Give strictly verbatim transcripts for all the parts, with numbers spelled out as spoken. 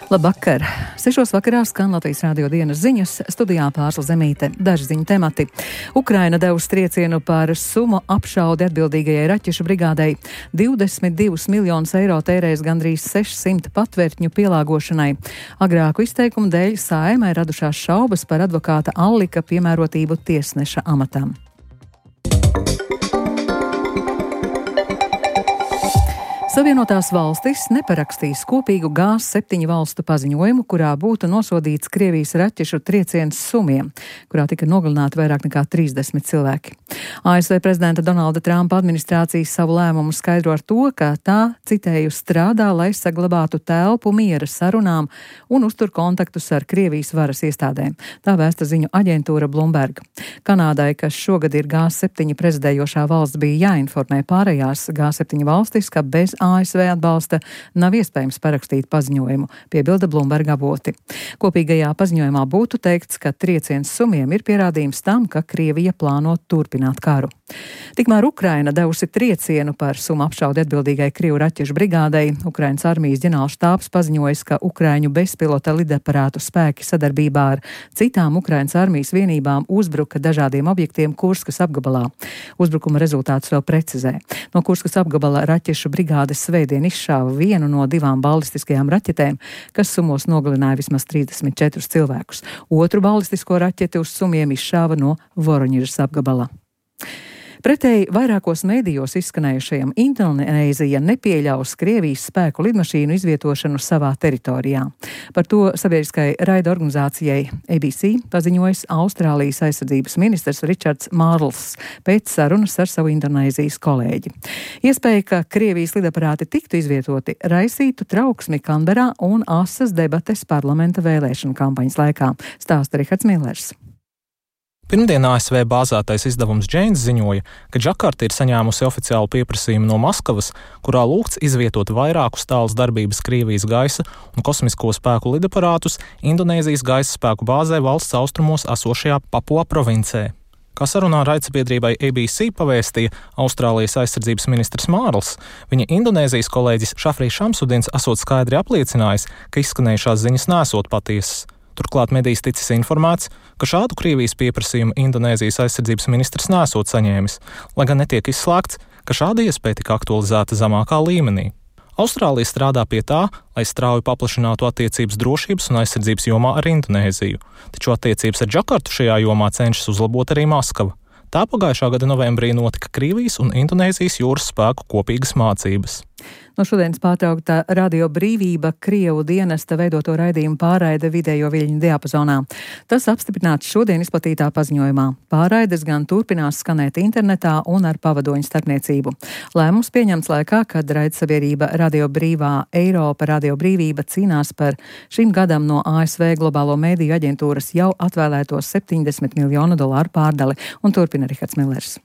Labvakar! Sešos vakarā skan Latvijas Rādio dienas ziņas, studijā Pārsla Zemīte. Daži ziņu temati. Ukraina devusi triecienu par summu apšaudi atbildīgajai raķešu brigādei. divdesmit divus miljonus eiro tērēs gandrīz sešsimt patvērtņu pielāgošanai. Agrāku izteikumu dēļ Saeimai radušās šaubas par advokāta Allika piemērotību tiesneša amatam. Savienotās valstis neparakstīs kopīgu G septiņu valstu paziņojumu, kurā būtu nosodīts Krievijas raķešu trieciens Sumiem, kurā tika nogalināti vairāk nekā trīsdesmit cilvēki. A S V prezidenta Donalda Trumpa administrācija savu lēmumu skaidro ar to, ka tā, citēju, strādā, lai saglabātu telpu miera sarunām un uztur kontaktus ar Krievijas varas iestādēm. Tā vēsta ziņu aģentūra Bloomberg. Kanādai, kas šogad ir G septiņu prezidējošā valsts, bija jāinformē pārējās G septiņu valstis, ka bez A S V atbalsta nav iespējams parakstīt paziņojumu, piebilda Bloomberg avoti. Kopīgajā paziņojumā būtu teikts, ka trieciens Sumiem ir pierādījums tam, ka Krievija plāno turpināt karu. Tikmēr Ukraina devusi triecienu par Sumu apšaudi atbildīgai Krievu raķešu brigādei. Ukrainas armijas ģenerālštābs paziņojis, ka Ukraiņu bezpilota lidaparātu spēki sadarbībā ar citām Ukrainas armijas vienībām uzbruka dažādiem objektiem Kurskas apgabalā. Uzbrukuma rezultātus vēl precizē. No Kurskas apgabala raķešu brigādes svētdien izšāva vienu no divām balistiskajām raķetēm, kas Sumos nogalināja vismaz trīsdesmit četrus cilvēkus. Otru balistisko raķeti uz Sumiem izšāva no Voroņižas apgabala. Pretēji vairākos mēdījos izskanējušajam, Indonēzija nepieļaus Krievijas spēku lidmašīnu izvietošanu savā teritorijā. Par to sabiedriskai raida organizācijai A B C paziņojis Austrālijas aizsardzības ministrs Ričards Mārls pēc sarunas ar savu Indonēzijas kolēģi. Iespēja, ka Krievijas lidaparāti tiktu izvietoti, raisītu trauksmi Kanberā un asas debates parlamenta vēlēšanu kampaņas laikā, stāsta Rihards Millers. Pirmdien A S V bāzētais izdevums Janes ziņoja, ka Džakarta ir saņēmusi oficiālu pieprasījumu no Maskavas, kurā lūgts izvietot vairākus tāls darbības Krievijas gaisa un kosmisko spēku lidaparātus Indonēzijas gaisa spēku bāzē valsts austrumos esošajā Papua provincē. Kā sarunā raidsabiedrībai A B C pavēstīja Austrālijas aizsardzības ministrs Mārls, viņa Indonēzijas kolēģis Šafrī Šamsudins esot skaidri apliecinājis, ka izskanējušās ziņas nesot patiesas. Turklāt medijs ticis informēts, ka šādu Krievijas pieprasījumu Indonēzijas aizsardzības ministrs nesot saņēmis, lai gan netiek izslēgts, ka šāda iespēja tika aktualizēta zemākā līmenī. Austrālija strādā pie tā, lai strauji paplašinātu attiecības drošības un aizsardzības jomā ar Indonēziju, taču attiecības ar Džakartu šajā jomā cenšas uzlabot arī Maskava. Tā pagājušā gada novembrī notika Krievijas un Indonēzijas jūras spēku kopīgas mācības. No šodienas pārtraukta Radio Brīvība Krievu dienesta veidoto raidījumu pārraide vidējo viļņu diapazonā. Tas apstiprināts šodien izplatītā paziņojumā. Pārraides gan turpinās skanēt internetā un ar pavadoņu starpniecību. Lēmums pieņemts laikā, kad raidsabiedrība Radio Brīvā Eiropa Radio Brīvība cīnās par šim gadam no A S V globālo mēdīju aģentūras jau atvēlēto septiņdesmit miljonu dolāru pārdali, un turpina Rihards Millers.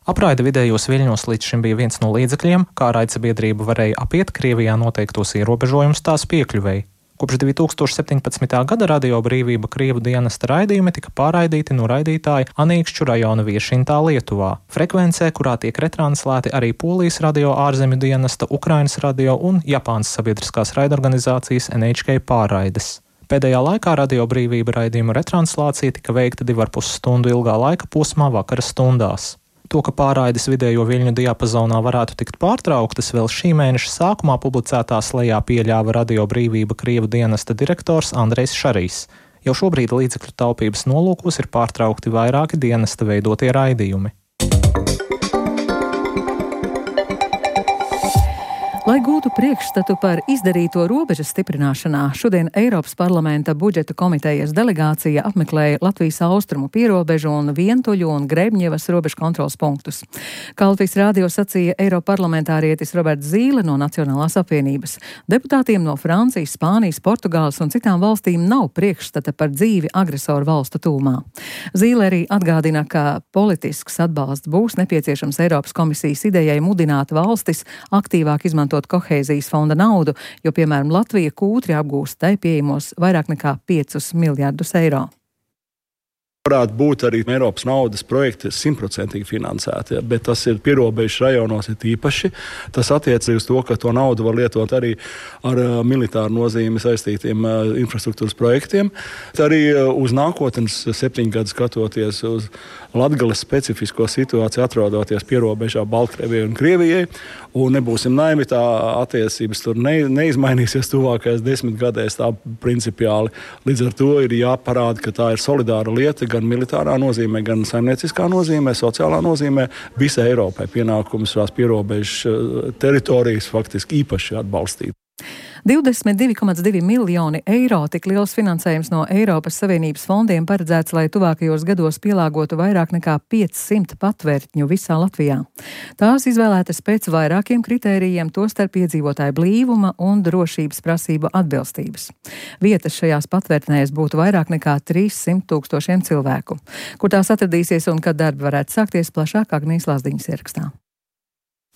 Apraide vidējos viļņos līdz šim bija viens no līdzekļiem, kā raidsabiedrība varēja apiet Krievijā noteiktos ierobežojumus tās piekļuvēji. Kopš divi tūkstoši septiņpadsmitā gada Radio Brīvība Krievu dienesta raidījumi tika pārraidīti no raidītāja Anīkšķu rajona Viešintā Lietuvā, frekvencē, kurā tiek retranslēti arī Polijas radio ārzemju dienesta, Ukrainas radio un Japānas sabiedriskās raidorganizācijas N H K pārraides. Pēdējā laikā Radio Brīvība raidījumu retranslācija tika veikta divu ar pus stundu ilgā laika posmā vakara stundās. To, ka pārraides vidējo viļņu diapazonā varētu tikt pārtrauktas, vēl šī mēneša sākumā publicētā slejā pieļāva Radio Brīvība Krievu dienesta direktors Andrejs Šarīs. Jau šobrīd līdzekļu taupības nolūkos ir pārtraukti vairāki dienesta veidotie raidījumi. Lai gūtu priekšstatu par izdarīto robežas stiprināšanā, šodien Eiropas parlamenta budžeta komitejas delegācija apmeklēja Latvijas austrumu pierobežu un Vientuļu un Grebņevas robežu kontrols punktus. Kā Latvijas rādio sacīja Eiroparlamentārietis Roberts Zīle no Nacionālās apvienības, deputātiem no Francijas, Spānijas, Portugāles un citām valstīm nav priekšstata par dzīvi agresoru valstu tūmā. Zīle arī atgādina, ka politisks atbalsts būs nepieciešams Eiropas komisijas idejai mudināt valstis aktīvāk izmantot kohēzijas fonda naudu, jo, piemēram, Latvija kūtri apgūst tai pieejamos vairāk nekā piecus miljardus eiro. Varētu būt arī Eiropas naudas projekti simtprocentīgi finansēti, bet tas ir pierobežu rajonos ir īpaši. Tas attiecas uz to, ka to naudu var lietot arī ar militāru nozīmi saistītiem infrastruktūras projektiem. Arī uz nākotnes septiņu gadu skatoties uz Latgales specifisko situāciju, atrodoties pierobežā Baltkrievijai un Krievijai, un nebūsim naivi, tā attiecības tur ne, neizmainīsies tuvākajās desmit gadēs tā principiāli. Līdz ar to ir jāparāda, ka tā ir solidāra lieta, gan militārā nozīmē, gan saimnieciskā nozīmē, sociālā nozīmē. Visai Eiropai pienākums šās pierobežu teritorijas faktiski īpaši atbalstīt. divdesmit divi komats divi miljoni eiro tik liels finansējums no Eiropas Savienības fondiem paredzēts, lai tuvākajos gados pielāgotu vairāk nekā piecsimt patvērtņu visā Latvijā. Tās izvēlētas pēc vairākiem kritērijiem, tostarp iedzīvotāju blīvuma un drošības prasību atbilstības. Vietas šajās patvērtnēs būtu vairāk nekā trīssimt tūkstošiem cilvēku. Kur tās atradīsies un kad darbi varētu sākties, plašāk Agnijas Lazdiņas ierakstā.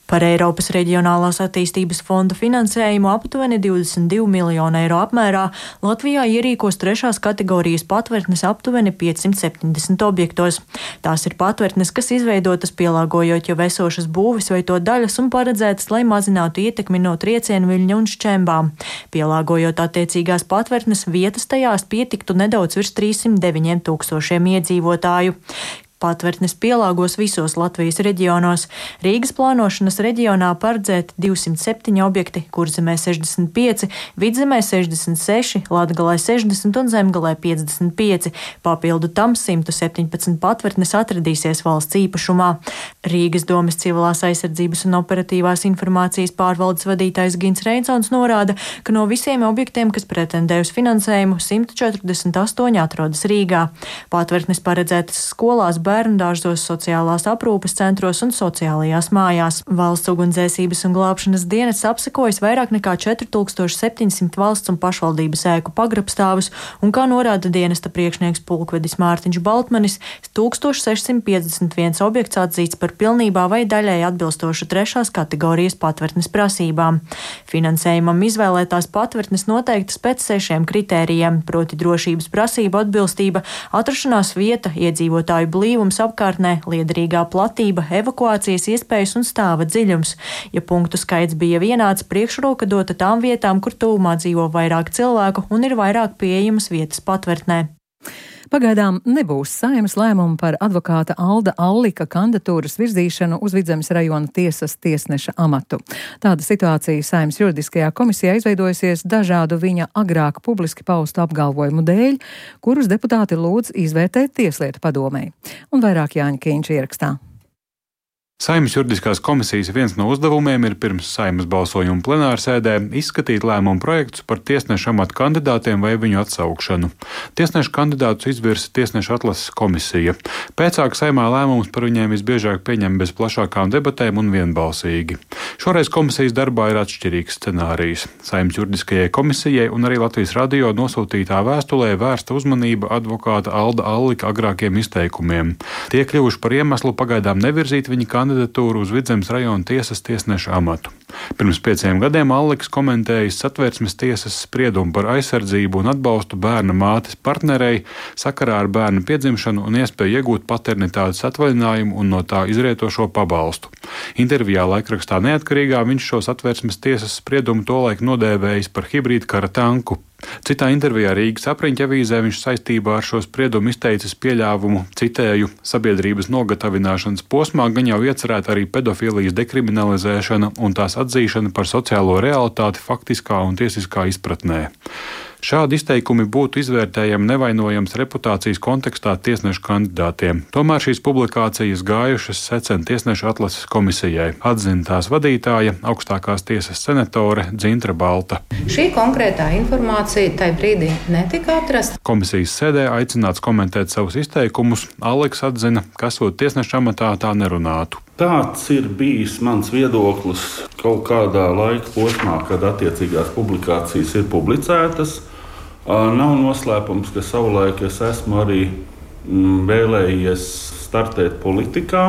Par Eiropas Reģionālās attīstības fonda finansējumu aptuveni divdesmit divi miljoni eiro apmērā Latvijā ierīkos trešās kategorijas patvērtnes aptuveni piecsimt septiņdesmit objektos. Tās ir patvērtnes, kas izveidotas pielāgojot jau esošas būvis vai to daļas un paredzētas, lai mazinātu ietekmi no triecienu viļņa un šķembām. Pielāgojot attiecīgās patvērtnes, vietas tajās pietiktu nedaudz virs trīssimt deviņiem tūkstošiem iedzīvotāju. Patvērtnes pielāgos visos Latvijas reģionos. Rīgas plānošanas reģionā paredzēti divsimt septiņi objekti, Kurzemē sešdesmit pieci, Vidzemē sešdesmit seši, Latgalē sešdesmit un Zemgalē piecdesmit pieci. Papildu tam simt septiņpadsmit patvērtnes atradīsies valsts īpašumā. Rīgas domes civilās aizsardzības un operatīvās informācijas pārvaldes vadītājs Gins Reinsons norāda, ka no visiem objektiem, kas pretendē uz finansējumu, simt četrdesmit astoņi atrodas Rīgā. Patvērtnes paredzētas skolās, bērnu dārzos, sociālās aprūpes centros un sociālajās mājās. Valsts ugunsdzēsības un glābšanas dienests apsekojas vairāk nekā četri tūkstoši septiņsimt valsts un pašvaldības ēku pagrabstāvus, un, kā norāda dienesta priekšnieks pulkvedis Mārtiņš Baltmanis, tūkstoš sešsimt piecdesmit viens objekts atzīts par pilnībā vai daļai atbilstošu trešās kategorijas patvērtnes prasībām. Finansējumam izvēlētās patvērtnes noteiktas pēc sešiem kritērijiem, proti drošības prasība atbilstība, atrašanās vieta, iedzīvotāju blīvums apkārtnē, liederīgā platība, evakuācijas iespējas un stāva dziļums. Ja punktu skaits bija vienāds, priekšroka dota tām vietām, kur tuvumā dzīvo vairāk cilvēku un ir vairāk pieejamas vietas patvērtnē. Pagaidām nebūs Saeimas lēmumu par advokāta Alda Allika kandidatūras virzīšanu uz Vidzemes rajona tiesas tiesneša amatu. Tāda situācija Saeimas juridiskajā komisijā izveidojusies dažādu viņa agrāk publiski paustu apgalvojumu dēļ, kurus deputāti lūdz izvērtēt Tieslietu padomei. Un vairāk Jāņa Kīņš ierakstā. Saeimas juridiskās komisijas viens no uzdevumiem ir pirms Saeimas balsojuma plenārsēdē izskatīt lēmumu projektus par tiesnešu amatu kandidātiem vai viņu atsaukšanu. Tiesnešu kandidātus izvirsa tiesnešu atlases komisija. Pēcāk Saeimā lēmumus par viņiem visbiežāk pieņem bez plašākām debatēm un vienbalsīgi. Šoreiz komisijas darbā ir atšķirīgs scenārijs. Saeimas juridiskajai komisijai un arī Latvijas radio nosūtītā vēstulē vērsta uzmanība advokāta Alda Allika agrākiem izteikumiem. Tie kļuvuši par iemeslu pagaidām nevirzīt viņa kandidatūru kandidatūru uz Vidzemes rajona tiesas tiesneša amatu. Pirms pieciem gadiem Alliks komentējis Satversmes tiesas spriedumu par aizsardzību un atbalstu bērna mātes partnerei sakarā ar bērna piedzimšanu un iespēju iegūt paternitātes atvaļinājumu un no tā izrietošo pabalstu. Intervijā laikrakstā Neatkarīgā viņš šo Satversmes tiesas spriedumu tolaik nodēvējis par hibrīdu kara tanku. Citā intervijā Rīgas apriņķa avīzē viņš saistībā ar šo spriedumu izteicis pieļāvumu, citēju, sabiedrības nogatavināšanas posmā gan jau iecerēta arī pedofilijas dekriminalizēšana un tās atzīšana par sociālo realitāti faktiskā un tiesiskā izpratnē. Šādi izteikumi būtu izvērtējami nevainojams reputācijas kontekstā tiesnešu kandidātiem. Tomēr šīs publikācijas gājušas secen tiesnešu atlases komisijai, atzina tās vadītāja, augstākās tiesas senatore Dzintra Balta. Šī konkrētā informācija tai brīdī netika atrasta. Komisijas sēdē aicināts komentēt savus izteikumus, Alliks atzina, ka esot tiesneša amatā tā nerunātu. Tāds ir bijis mans viedoklis kaut kādā laika posmā, kad attiecīgās publikācijas ir publicētas. Nav noslēpums, ka savulaik es esmu arī vēlējies startēt politikā.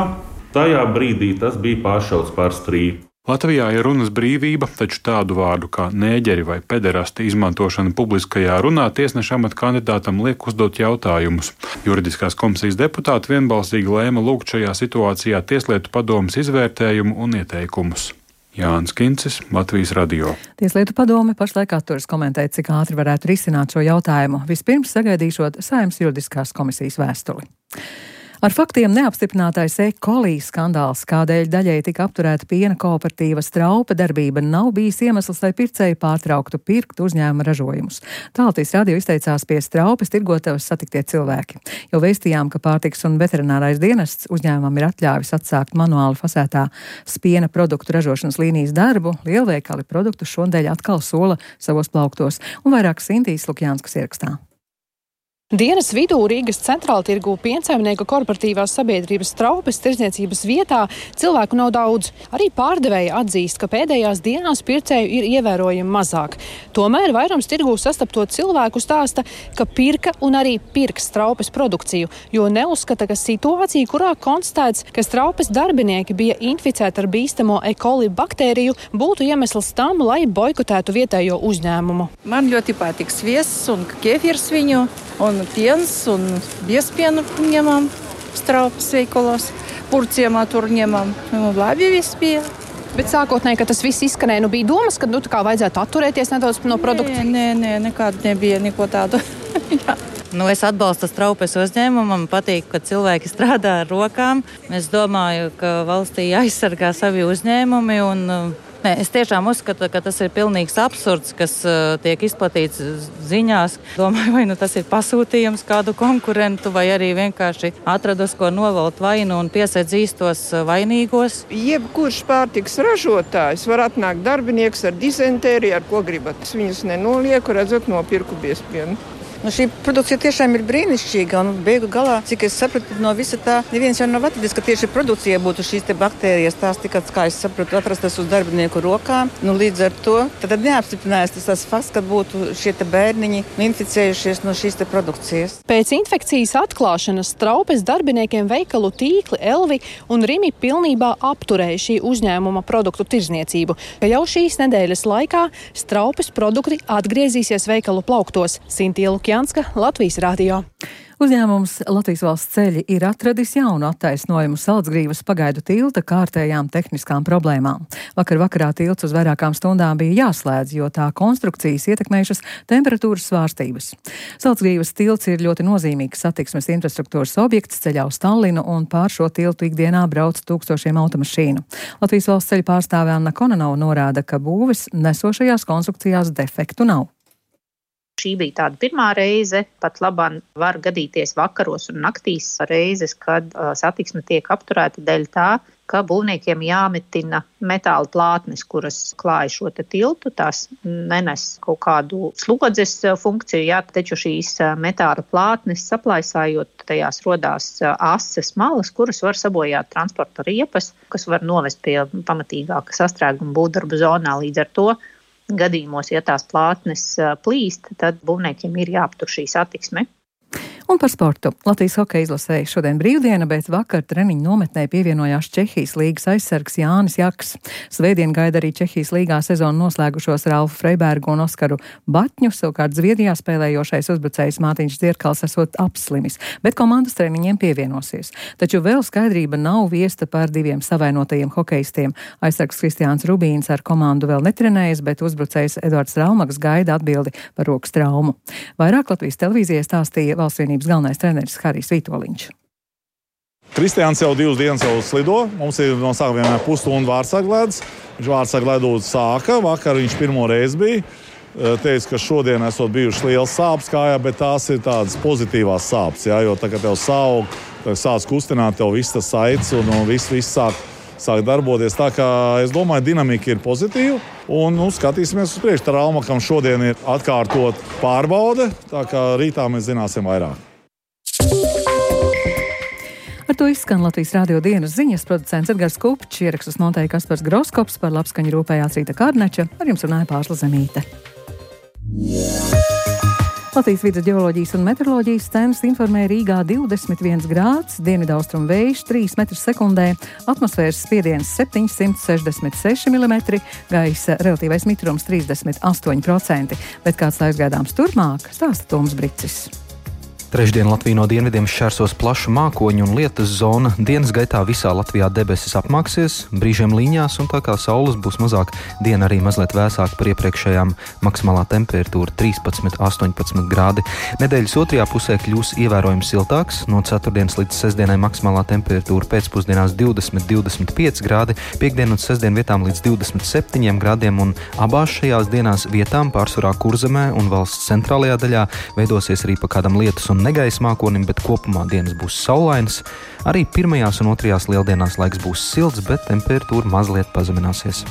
Tajā brīdī tas bija pāršauts par strīpu. Latvijā ir runas brīvība, taču tādu vārdu kā nēģeri vai pederasti izmantošana publiskajā runā tiesneša amata kandidātam liek uzdot jautājumus. Juridiskās komisijas deputāti vienbalsīgi lēma lūgt šajā situācijā Tieslietu padomes izvērtējumu un ieteikumus. Jānis Kincis, Latvijas radio. Tieslietu padome pašlaik atturas komentēt, cik ātri varētu risināt šo jautājumu, vispirms sagaidīšot Saeimas juridiskās komisijas vēstuli. Ar faktiem neapstiprinātais E. coli skandāls, kādēļ daļēji tika apturēta piena kooperatīva Straupe darbība, nav bijis iemesls, lai pircēji pārtrauktu pirkt uzņēmuma ražojumus. Tā Latvijas radio izteicās pie Straupes tirgotavas satiktie cilvēki. Jau vēstījām, ka pārtikas un veterinārais dienests uzņēmumam ir atļāvis atsākt manuāli fasētā piena produktu ražošanas līnijas darbu, lielveikali produktu šodien atkal sola savos plauktos, un vairāk Sintīs Lukjānskas ierakstā. Dienas vidū Rīgas centrāla tirgū piensaimnieku korporatīvās sabiedrības Straupes tirdzniecības vietā cilvēku nav daudz. Arī pārdevēja atzīst, ka pēdējās dienās pircēju ir ievērojami mazāk. Tomēr vairums tirgū sastapto cilvēku stāsta, ka pirka un arī pirks Straupes produkciju, jo neuzskata, ka situācija, kurā konstatēts, ka Straupes darbinieki bija inficēti ar bīstamo E. coli baktēriju, būtu iemesls tam, lai boikotētu vietējo uzņēmumu. Man ļoti patīk sviests un kefirs viņu. Un piens, un biespienu ņemam Straupes veikalos, purciemā tur ņemam. Nu, labi viss bija. Bet sākotnēji, ka tas viss izskanēja, nu bija domas, ka nu tā kā vajadzētu atturēties nedaudz no produkta? Nē, nē, nē, nekāda nebija neko tādu. Nu, es atbalstu Straupes uzņēmumu, man patīk, ka cilvēki strādā ar rokām. Es domāju, ka valstī aizsargā savi uzņēmumi un... Nē, es tiešām uzskatu, ka tas ir pilnīgs absurds, kas uh, tiek izplatīts ziņās. Domāju, vai nu tas ir pasūtījums kādu konkurentu, vai arī vienkārši atradus, ko novalt vainu un piesedz īstos vainīgos. Jebkurš pārtiks ražotājs var atnākt darbinieks ar dizentēriju, ar ko gribat. Es viņus nenolieku, redzot, nopirku biespienu. Nu, šī produkcija tiešām ir brīnišķīga, un beigu galā, cik es sapratu, no visa tā, neviens jau nav atradis, ka tieši produkcija būtu šīs te baktērijas, tās tikai, kā es sapratu, atrastas uz darbinieku rokām. Nu, līdz ar to tad neapstiprinājās tas, tas fakts, ka būtu šie te bērniņi inficējušies no šīs te produkcijas. Pēc infekcijas atklāšanas Straupes darbiniekiem veikalu tīkli Elvi un Rimi pilnībā apturēja šī uzņēmuma produktu tirdzniecību, ka jau šīs nedēļas laikā Straupes produkti atgriezīsies veikalu plauktos. Sintīla Lukjānska, Latvijas radio. Uzņēmums Latvijas valsts ceļi ir atradis jaunu attaisnojumu Salcgrīvas pagaidu tilta kārtējām tehniskām problēmām. Vakar vakarā tilts uz vairākām stundām bija jāslēdz, jo tā konstrukcijas ietekmējušas temperatūras svārstības. Salcgrīvas tilts ir ļoti nozīmīgs satiksmes infrastruktūras objekts ceļā uz Tallinu, un pār šo tiltu ikdienā brauc tūkstošiem automašīnu. Latvijas valsts ceļu pārstāve Anna Kononova norāda, ka būves nesošajās konstrukcijās defektu nav. Šī bija tāda pirmā reize, pat labāk var gadīties vakaros un naktīs reizes, kad uh, satiksme tiek apturēta dēļ tā, ka būvniekiem jāmetina metāla plātnes, kuras klāja šo tiltu, tās nenes kaut kādu slodzes funkciju, jā, taču šīs metāla plātnes saplaisājot, tajās rodās ases malas, kuras var sabojāt transporta riepas, kas var novest pie pamatīgāka sastrēguma būvdarbu zonā. Līdz ar to gadījumos, ja tās plātnes plīst, tad būvniekiem ir jāaptur šī satiksme. Un par sportu. Latvijas hokeja izlasēja šodien brīvdiena, bet vakar treniņu nometnē pievienojās Čehijas līgas aizsargs Jānis Jaks. Svētdien gaida arī Čehijas līgā sezonu noslēgušos Ralfu Freibergu un Oskaru Batņu, savukārt Zviedrijā spēlējošais uzbrucējs Mātiņš Dzierkals esot apslimis, bet komandas treniņiem pievienosies. Taču vēl skaidrība nav viesta par diviem savainotajiem hokejistiem. Aizsargs Kristiāns Rubīns ar komandu vēl netrenējas, bet uzbrucējs Edvards Raumags gaida atbildi par rokas traumu. Vairāk Latvijas televīzijai stāstīja Valsts vienības galvenais treneris Harijs Vitoļņš. Kristiāns jau divas dienas jau slido. Mums ir no sākuma vienmēr pusstundu vārtsargledus. Viņš vārtsargledu sāka. Vakar viņš pirmo reizi bija. Teica, ka šodien esot bijušas liels sāpes kājā, bet tās ir tādas pozitīvās sāpes. Jā, jo tagad tev saug, sāc kustināt, tev viss tas saites un viss, viss sāk, sāk darboties. Tā kā es domāju, dinamika ir pozitīva. Un nu, skatīsimies uz priekšu. Raumakam šodien ir atkārtot pārbaude. Tā kā rītā mēs zināsim vairāk. Ar to izskan Latvijas radio dienas ziņas. Producents Edgars Kupčs, ierakstus montēja Kaspars Groskops, par labskaņu rūpējās Rīta Kārneča, ar jums runāja Pārsla Zemīte. Latvijas vides geoloģijas un meteoroloģijas centrs informē Rīgā divdesmit viens grāds, dienvidaustrumu vējš trīs metrus sekundē, atmosfēras spiediens septiņsimt sešdesmit seši milimetri, gaisa relatīvais mitrums trīsdesmit astoņi procenti. Bet kāds laiks gaidāms turpmāk, stāsta Toms Bricis. Trešdien Latviju no dienvidiem šķērsos plaša mākoņu un lietus zona. Dienas gaitā visā Latvijā debesis apmāksies, brīžiem līņās, un tā kā saules būs mazāk, diena arī mazliet vēsāka par iepriekšējām. Maksimālā temperatūra trīspadsmit līdz astoņpadsmit grādi. Nedēļas otrajā pusē kļūs ievērojami siltāks. No ceturtdienas līdz sestdienai maksimālā temperatūra pēcpusdienās divdesmit līdz divdesmit pieci grādi, piektdien un sestdien vietām līdz divdesmit septiņiem grādiem, un abās šajās dienās vietām pārsvarā Kurzemē un valsts centrālajā daļā veidosies arī pa kādam lietus un negaisa mākonim, bet kopumā dienas būs saulainas. Arī pirmajās un otrajās lieldienās laiks būs silts, bet temperatūra mazliet pazemināsies.